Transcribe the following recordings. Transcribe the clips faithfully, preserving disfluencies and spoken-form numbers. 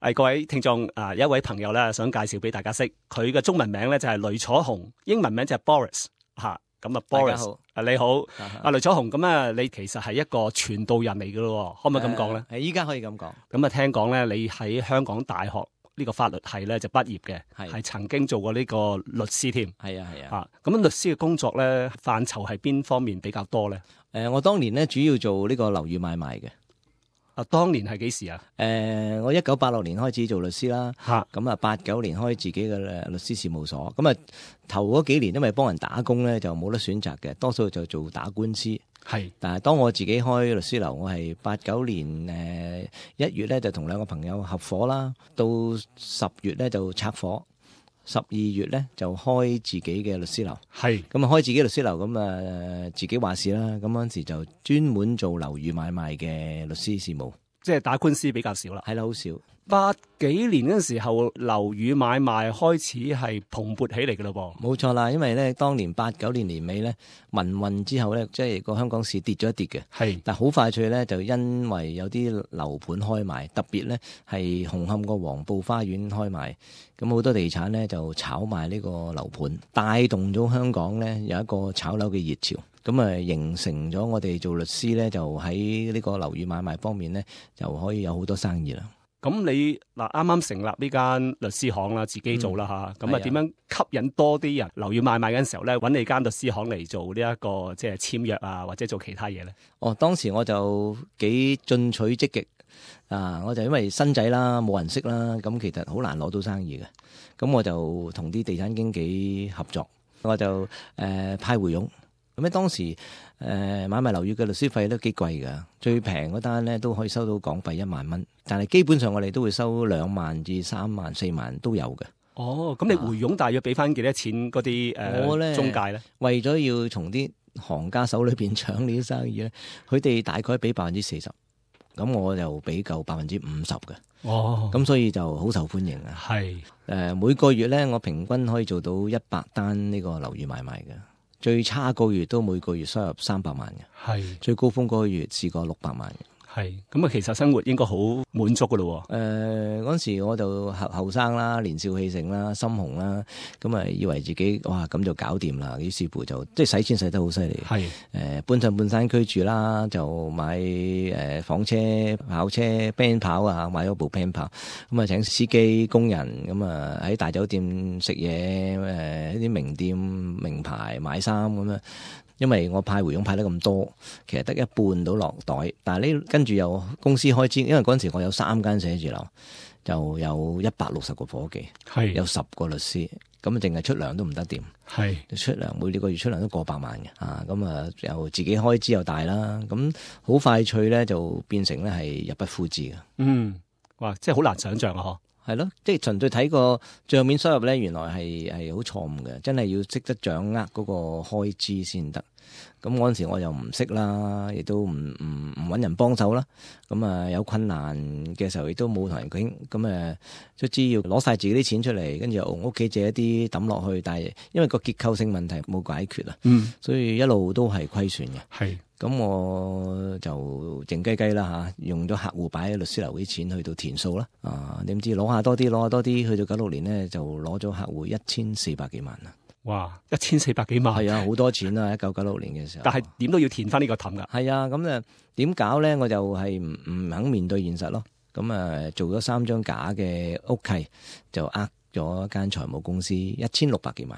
誒，各位聽眾啊，有一位朋友咧想介紹俾大家識，佢嘅中文名咧就係雷楚雄，英文名就係 Boris 吓。咁啊，Boris，啊你好，阿雷楚雄，咁啊，你其實係一個傳道人嚟噶咯，可唔可以咁講咧？係依家可以咁講。咁啊，聽講咧，你喺香港大學呢個法律系咧就畢業嘅，係曾經做過呢個律師添。係啊係啊。吓，咁律師嘅工作咧範疇係邊方面比較多咧？誒，我當年咧主要做呢個樓宇買賣嘅。啊，當年係幾時啊？誒、呃，我一九八六年開始做律師啦，嚇咁啊八九年開自己嘅律師事務所，咁啊頭嗰幾年因為幫人打工咧就冇得選擇嘅，多數就做打官司。係，但係當我自己開律師樓，我係八九年誒一、呃、月咧就同兩個朋友合夥啦，到十月咧就拆夥，十二月咧就開自己嘅律師樓。係，咁啊開自己律師樓，咁啊自己話事啦。咁嗰陣時就專門做樓宇買賣嘅律師事務，即係打官司比較少啦。係啦，好少。八幾年嗰陣時候，樓宇買賣開始係蓬勃起嚟嘅咯噃。冇錯啦，因為咧當年八九年年尾咧民運之後咧，即係個香港市跌咗一跌嘅。係，但好快脆咧，就因為有啲樓盤開賣，特別咧係紅磡個黃埔花園開賣，咁好多地產咧就炒賣呢個樓盤，帶動咗香港咧有一個炒樓嘅熱潮。咁啊，形成咗我哋做律師咧，就喺呢個樓宇買賣方面咧，就可以有好多生意啦。咁你嗱啱啱成立呢間律師行啦，自己做啦吓，咁啊點樣吸引多啲人樓宇買賣嘅時候咧，揾你間律師行嚟做呢、這、一個即係簽約啊，或者做其他嘢咧？哦，當時我就幾進取積極啊！我就因為新仔啦，冇人識啦，咁其實好難攞到生意嘅。咁我就同啲地產經紀合作，我就誒、呃、派回佣。咁咧當時誒、呃、買賣樓宇嘅律師費都幾貴㗎，最平嗰單咧都可以收到港幣一萬蚊，但係基本上我哋都會收兩萬至三萬、四萬都有嘅。哦，咁你回佣大約俾翻幾多錢嗰啲誒中介咧？為咗要從啲行家手裏邊搶呢啲生意咧，佢哋大概俾百分之四十，咁我就俾夠百分之五十嘅。哦，咁所以就好受歡迎啊。係誒、呃、每個月咧，我平均可以做到一百單呢個樓宇買賣嘅。最差個月都每個月收入三百萬嘅，係最高峰嗰個月試過六百萬嘅。係咁啊，其實生活應該好滿足噶咯。誒、呃，嗰時我就後後生啦，年少氣盛啦，心紅啦，咁啊以為自己哇咁就搞掂啦，於是乎就即係使錢使得好犀利。係誒、呃，搬上半山區住啦，就買誒、呃、房車、跑車、band 跑啊，買咗部 band 跑，咁啊請司機、工人，咁啊喺大酒店食嘢，誒一啲名店、名牌買衫咁樣。因為我派回佣派得咁多，其實得一半到落袋，但係呢跟住又公司開支，因為嗰陣時我有三間寫字樓，就有一百六十個伙計，係有十個律師，咁啊淨係出糧都唔得掂，係出糧每個月出糧都過百萬嘅，啊咁啊又自己開支又大啦，咁好快脆咧就變成咧係入不敷支嘅。嗯，哇，即係好難想象啊！嗬。係咯，即係純粹睇個賬面收入咧，原來係係好錯誤嘅，真係要識得掌握嗰個開支先得。咁嗰陣時我又唔識啦，亦都唔唔唔搵人幫手啦。咁啊有困難嘅時候亦都冇同人傾。咁誒，卒之要攞晒自己啲錢出嚟，跟住屋企借一啲抌落去，但係因為個結構性問題冇解決啊，嗯，所以一路都係虧損嘅。係。咁我就靜雞雞啦嚇，用咗客戶擺喺律師樓啲錢去到填數啦，啊點知攞下多啲，攞下多啲，去到九六年咧就攞咗客戶一千四百幾萬啦！哇，一千四百幾萬，係啊，好多錢啊！一九九六年嘅時候，但係點都要填翻呢個氹噶。係啊，咁誒點搞咧？我就係唔唔肯面對現實咯。咁啊，做咗三張假嘅屋契，就呃咗間財務公司一千六百幾萬，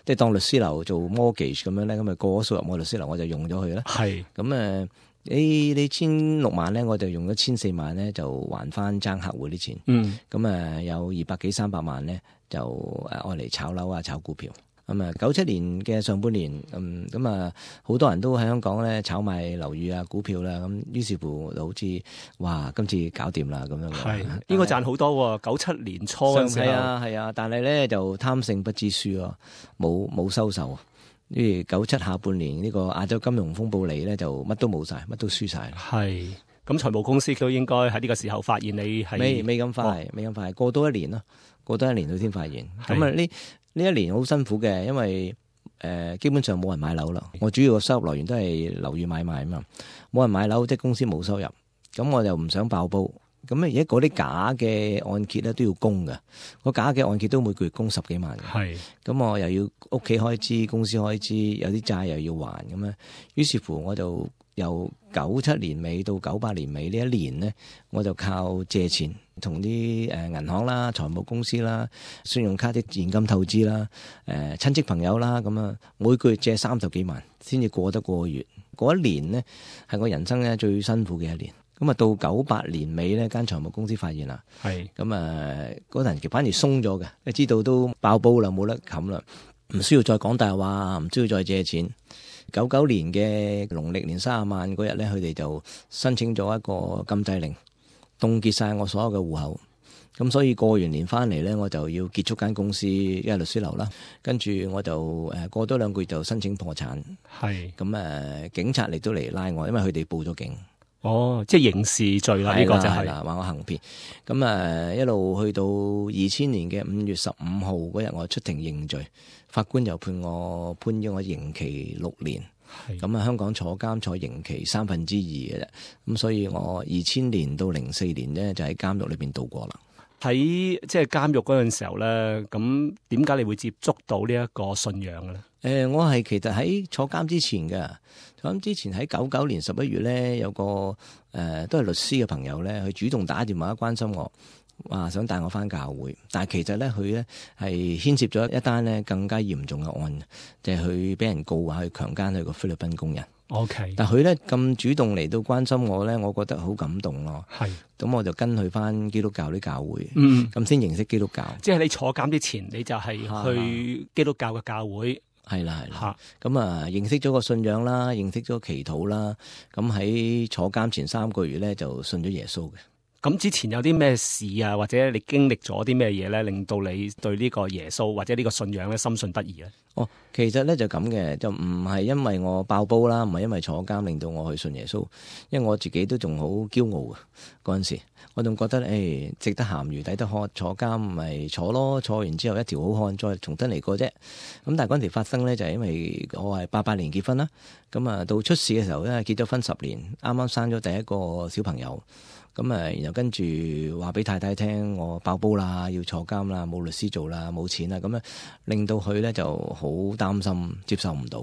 即係當律師樓做 mortgage 咁樣咧，咁啊過咗數入我律師樓，我就用咗佢啦。係咁誒，誒你千六萬咧，我就用咗千四萬咧，就還翻爭客戶啲錢。嗯，咁啊有二百幾三百萬咧，就誒愛嚟炒樓啊，炒股票。咁啊，九七年嘅上半年，嗯，咁啊，好多人都喺香港咧炒賣樓宇啊、股票啦，咁於是乎就好似，哇，今次搞掂啦咁樣。係應該賺好多喎，九七年初嘅時候。係啊係啊，但係咧就貪勝不知輸咯，冇冇收手。因為九七下半年呢個亞洲金融風暴嚟咧，就乜都冇晒，乜都輸晒。係咁，財務公司都應該喺呢個時候發現你係未未咁快，未咁快，過多一年咯，過多一年佢先發現。咁啊呢？呢一年好辛苦嘅，因為誒、呃、基本上冇人買樓啦。我主要嘅收入來源都係樓宇買賣啊嘛，冇人買樓，即係公司冇收入。咁我就唔想爆煲，咁而家嗰啲假嘅按揭咧都要供嘅，個假嘅按揭都每個月供十幾萬嘅。係，咁我又要屋企開支、公司開支，有啲債又要還咁樣。於是乎我就由九七年尾到九八年尾呢一年呢，我就靠借錢，同啲誒銀行啦、財務公司啦、信用卡啲現金透支啦、誒親戚朋友啦，咁啊每個月借三十幾萬先至過得過個月。嗰一年呢，係我人生咧最辛苦嘅一年。咁啊，到九八年尾呢間財務公司發現啦，係咁啊，嗰陣時反而鬆咗嘅，你知道都爆煲啦，冇得冚啦，唔需要再講大話，唔需要再借錢。九九年嘅農曆年三十晚嗰日呢，佢哋就申請咗一個禁制令，凍結晒我所有嘅戶口。咁所以過完年翻嚟呢，我就要結束間公司，因為律師樓啦。跟住我就誒過多兩個月就申請破產。係咁誒，警察嚟都嚟拉我，因為佢哋報咗警。哦，即係刑事罪啦，呢個就係啦，話我行騙。咁啊，一路去到二千年嘅五月十五號嗰日，我出庭認罪，法官又判我判咗我刑期六年。咁啊，香港坐監坐刑期三分之二嘅啫。咁所以我二千年到零四年呢，就喺監獄裏邊度過啦。喺即係監獄嗰陣時候咧，咁點解你會接觸到呢一個信仰嘅咧？誒、呃，我係其實喺坐監之前嘅，坐監之前喺九九年十一月咧，有個誒、呃、都係律師嘅朋友咧，佢主動打電話關心我，話想帶我翻教會，但係其實咧佢咧係牽涉咗一單咧更加嚴重嘅案，就係佢俾人告話去強姦佢個菲律賓工人。OK，但佢咧咁主動嚟到關心我咧，我覺得好感動咯。係，咁我就跟佢翻基督教啲教會，嗯，咁先認識基督教。即係你坐監之前，你就係去基督教嘅教會。係啦係啦，咁啊認識咗個信仰啦，認識咗祈禱啦，咁喺坐監前三個月咧就信咗耶穌嘅。咁之前有啲咩事啊，或者你經歷咗啲咩嘢咧，令到你對呢個耶穌或者呢個信仰咧深信不疑咧？哦，其實咧就咁嘅，就唔係因為我爆煲啦，唔係因為坐監令到我去信耶穌，因為我自己都仲好驕傲嘅嗰陣時，我仲覺得誒、哎、值得鹹魚抵得渴，坐監咪坐咯，坐完之後一條好漢，再重新嚟過啫。咁但係嗰陣時發生咧，就係因為我係八八年結婚啦，咁啊到出事嘅時候咧，結咗婚十年，啱啱生咗第一個小朋友。咁啊，然後跟住話俾太太聽，我爆煲啦，要坐監啦，冇律師做啦，冇錢啦，咁咧令到佢咧就好擔心，接受唔到，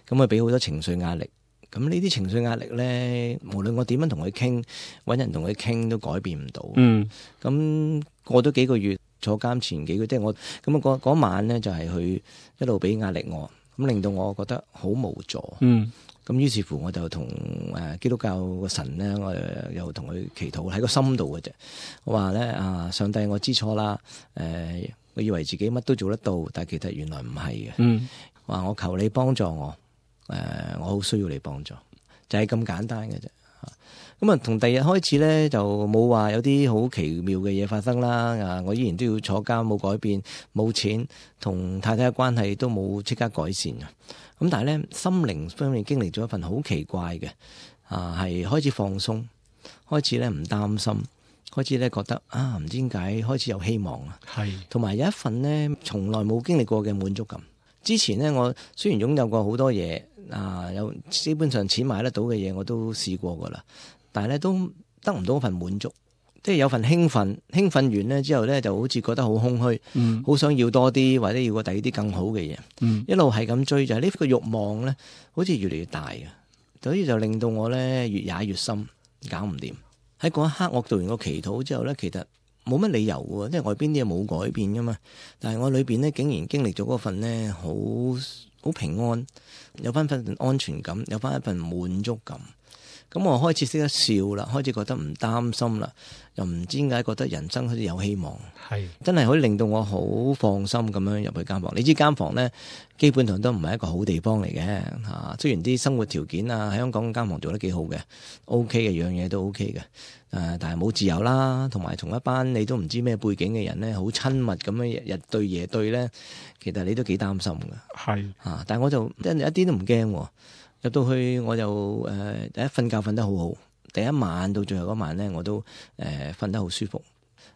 咁啊俾好多情緒壓力。咁呢啲情緒壓力咧，無論我點樣同佢傾，搵人同佢傾都改變唔到。嗯，咁過咗幾個月，坐監前幾個月，即係我咁啊嗰嗰晚咧就係佢一路俾壓力我，咁令到我覺得好無助。嗯。咁於是乎我就同誒基督教個神咧，我又同佢祈禱喺個心度嘅啫。我話咧啊，上帝我知錯啦，誒、呃，我以為自己乜都做得到，但係其實原來唔係嘅。嗯，話我求你幫助我，誒、呃，我好需要你幫助，就係、是、咁簡單嘅啫。咁啊，從第二日開始咧，就冇話有啲好奇妙嘅嘢發生啦。啊，我依然都要坐監，冇改變，冇錢，同太太嘅關係都冇即刻改善啊。咁但係咧，心靈方面經歷咗一份好奇怪嘅，啊，係開始放鬆，開始咧唔擔心，開始咧覺得啊，唔知點解開始有希望啊。係，同埋有一份咧從來冇經歷過嘅滿足感。之前咧，我雖然擁有過好多嘢，啊，有基本上錢買得到嘅嘢我都試過噶啦，但係咧都得唔到一份滿足。即係有份興奮，興奮完咧之後咧，就好似覺得好空虛，好、嗯、想要多啲，或者要個第二啲更好嘅嘢、嗯。一路係咁追，就係、是、呢個慾望咧，好似越嚟越大嘅，所以就令到我咧越踩越深，搞唔掂。喺嗰一刻，我做完個祈禱之後咧，其實冇乜理由嘅，即係外邊啲嘢冇改變噶嘛。但係我裏邊咧，竟然經歷咗嗰份咧，好好平安，有翻份安全感，有翻一份滿足感。咁我開始識得笑啦，開始覺得唔擔心啦，又唔知點解覺得人生好似有希望，係真係可以令到我好放心咁樣入去間房。你知間房咧，基本上都唔係一個好地方嚟嘅嚇。雖然啲生活條件啊喺香港間房做得幾好嘅 ，OK 嘅樣嘢都 OK 嘅，誒，但係冇自由啦，同埋同一班你都唔知咩背景嘅人咧，好親密咁樣日日對夜對咧，其實你都幾擔心㗎。係啊，但係我就真係一啲都唔驚喎。入到去我就誒、呃、第一瞓覺瞓得好好，第一晚到最後嗰晚咧我都誒瞓、呃、得好舒服。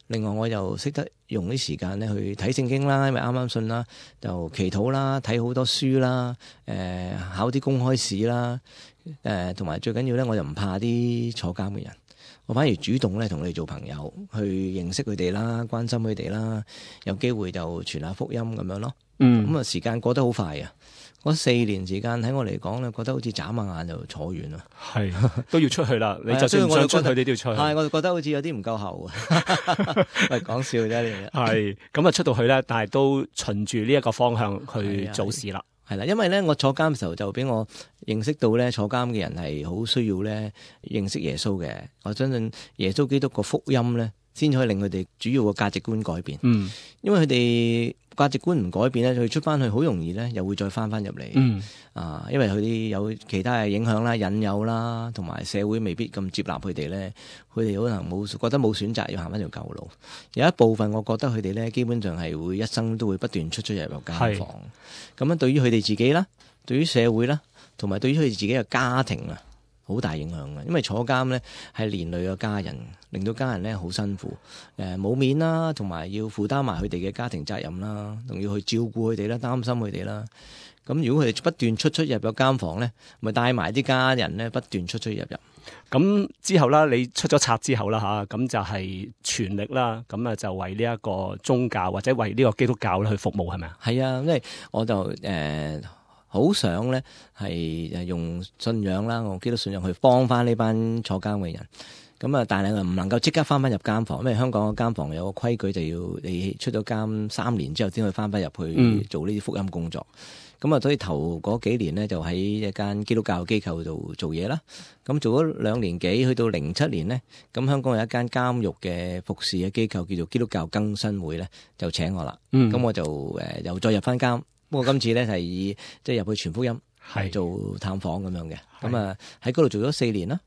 另外我又識得用啲時間咧去睇聖經啦，因為啱啱信啦，就祈禱啦，睇好多書啦，誒、呃、考啲公開試啦，誒同埋最緊要咧我又唔怕啲坐監嘅人，我反而主動咧同佢哋做朋友，去認識佢哋啦，關心佢哋啦，有機會就傳下福音咁樣咯。嗯，咁啊時間過得好快啊！嗰四年時間喺我嚟講咧，覺得好似眨下眼就坐完啦。係都要出去啦，你就算唔想出去，你都要出去。係，我就覺得好似有啲唔夠喉啊。喂，講笑啫呢嘢。係咁啊，出到去咧，但係都循住呢一個方向去做事啦。係啦，因為咧，我坐監嘅時候就俾我認識到咧，坐監嘅人係好需要咧認識耶穌嘅。我相信耶穌基督個福音咧，先可以令佢哋主要個價值觀改變。嗯，因為佢哋價值觀唔改變咧，佢出翻去好容易咧，又會再翻翻入嚟。嗯，啊，因為佢哋有其他嘅影響啦、引誘啦，同埋社會未必咁接納佢哋咧，佢哋可能冇覺得冇選擇，要行翻條舊路。有一部分我覺得佢哋咧，基本上係會一生都會不斷出出入入監房。咁樣對於佢哋自己啦，對於社會啦，同埋對於佢哋自己嘅家庭啊，好大影響嘅。因為坐監咧係連累嘅家人，令到家人咧好辛苦，誒冇面啦，同埋要負擔埋佢哋嘅家庭責任啦，仲要去照顧佢哋啦，擔心佢哋啦。咁如果佢哋不斷出出入入監房咧，咪帶埋啲家人咧不斷出出入入。咁之後啦，你出咗冊之後啦吓，咁就係全力啦，咁啊就為呢一個宗教或者為呢個基督教咧去服務，係咪啊？係啊，因為我就誒好、呃、想咧係用信仰啦，我基督信仰去幫翻呢班坐監嘅人。咁啊，但係唔能夠即刻翻翻入監房，因為香港嘅監房有個規矩，就要你出咗監三年之後先可以翻翻入去做呢啲福音工作。咁啊、嗯，所以頭嗰幾年呢，就喺一間基督教機構度做嘢啦。咁做咗兩年幾，去到零七年呢，咁香港有一間監獄嘅服侍嘅機構叫做基督教更新會咧，就請我啦。咁、嗯、我就誒又再入翻監，不過今次咧係以即係入去傳福音，係做探訪咁樣嘅。咁啊喺嗰度做咗四年啦。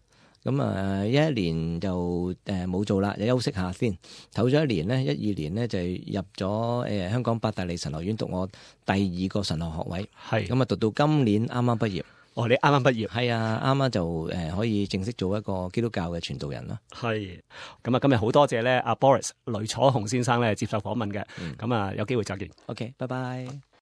咁啊，一一年就誒冇做啦，就休息下先。唞咗一年呢，一二年呢，就入咗誒香港伯大利神學院讀我第二個神學學位。係咁啊，讀到今年啱啱畢業。哦，你啱啱畢業？係啊，啱啱就誒可以正式做一個基督教嘅傳道人啦。係。咁啊，今日好多謝咧阿 Boris 雷楚雄先生咧接受訪問嘅。咁啊、嗯，有機會再見。OK，拜拜。